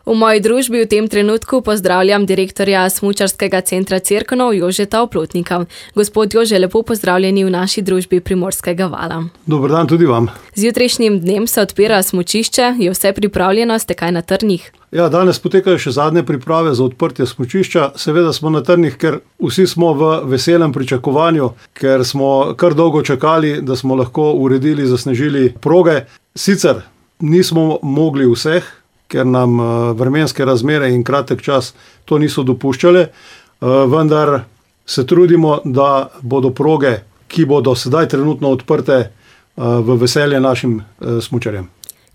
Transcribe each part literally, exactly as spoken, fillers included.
V moji družbi v tem trenutku pozdravljam direktorja Smučarskega centra Cerkno Jožeta Oplotnika. Gospod Jože, lepo pozdravljeni v naši družbi Primorskega vala. Dober dan tudi vam. Z jutrišnjim dnem se odpira smučišče, je vse pripravljeno, ste kaj na trnih? Ja, danes potekajo še zadnje priprave za odprtje smučišča. Seveda smo na trnih, ker vsi smo v veselem pričakovanju, ker smo kar dolgo čakali, da smo lahko uredili, zasnežili proge. Sicer nismo mogli vseh, ker nam vremenske razmere in kratek čas to niso dopuščale, vendar se trudimo, da bodo proge, ki bodo sedaj trenutno odprte, v veselje našim smučarjem.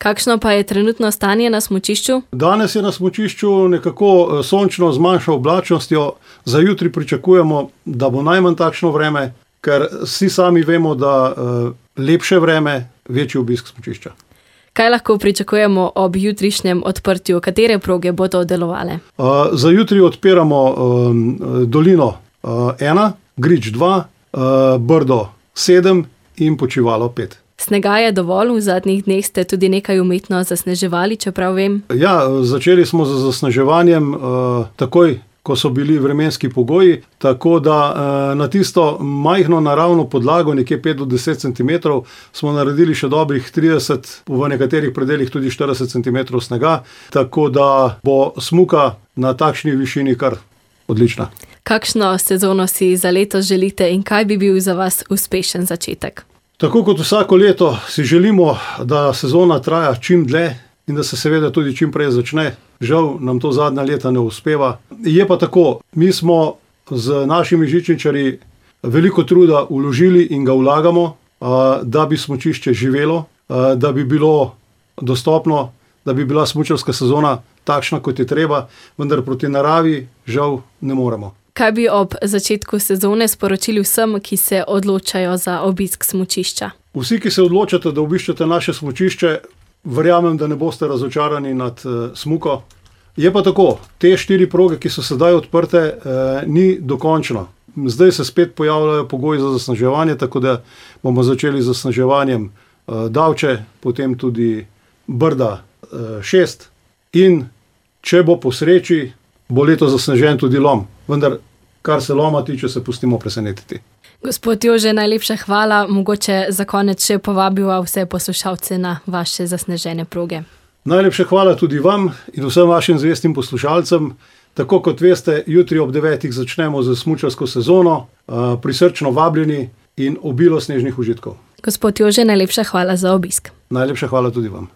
Kakšno pa je trenutno stanje na smučišču? Danes je na smučišču nekako sončno z manjšo oblačnostjo. Za jutri pričakujemo, da bo najmanj takšno vreme, ker vsi sami vemo, da lepše vreme, večji obisk smučišča. Kaj lahko pričakujemo ob jutrišnjem odprtju? Katere proge bodo delovale? Uh, za jutri odpiramo um, Dolino ena, uh, Grič dva, uh, Brdo sedem in Počivalo pet. Snega je dovolj, v zadnjih dneh ste tudi nekaj umetno zasneževali, čeprav vem. Ja, začeli smo z zasneževanjem uh, takoj, ko so bili vremenski pogoji, tako da uh, na tisto majhno naravno podlago, nekje pet do deset centimetrov, smo naredili še dobrih trideset, v nekaterih predelih tudi štirideset centimetrov snega, tako da bo smuka na takšni višini kar odlična. Kakšno sezono si za letos želite in kaj bi bil za vas uspešen začetek? Tako kot vsako leto si želimo, da sezona traja čim dlje in da se seveda tudi čim prej začne. Žal nam to zadnja leta ne uspeva. Je pa tako, mi smo z našimi žičničarji veliko truda vložili in ga vlagamo, da bi smučišče živelo, da bi bilo dostopno, da bi bila smučarska sezona takšna, kot je treba, vendar proti naravi žal ne moremo. Kaj bi ob začetku sezone sporočili vsem, ki se odločajo za obisk smučišča? Vsi, ki se odločate, da obiščete naše smučišče, verjamem, da ne boste razočarani nad uh, smuko. Je pa tako, te štiri proge, ki so sedaj odprte, uh, ni dokončno. Zdaj se spet pojavljajo pogoji za zasneževanje, tako da bomo začeli z zasneževanjem uh, Davče, potem tudi Brda uh, šest in če bo po sreči, bo leto zasnežen tudi Lom. Vendar, kar se Loma tiče, se pustimo presenetiti. Gospod Jože, najlepša hvala. Mogoče za konec še povabiva vse poslušalce na vaše zasnežene proge. Najlepša hvala tudi vam in vsem vašim zvestim poslušalcem. Tako kot veste, jutri ob devetih začnemo z smučarsko sezono, prisrčno vabljeni in obilo snežnih užitkov. Gospod Jože, najlepša hvala za obisk. Najlepša hvala tudi vam.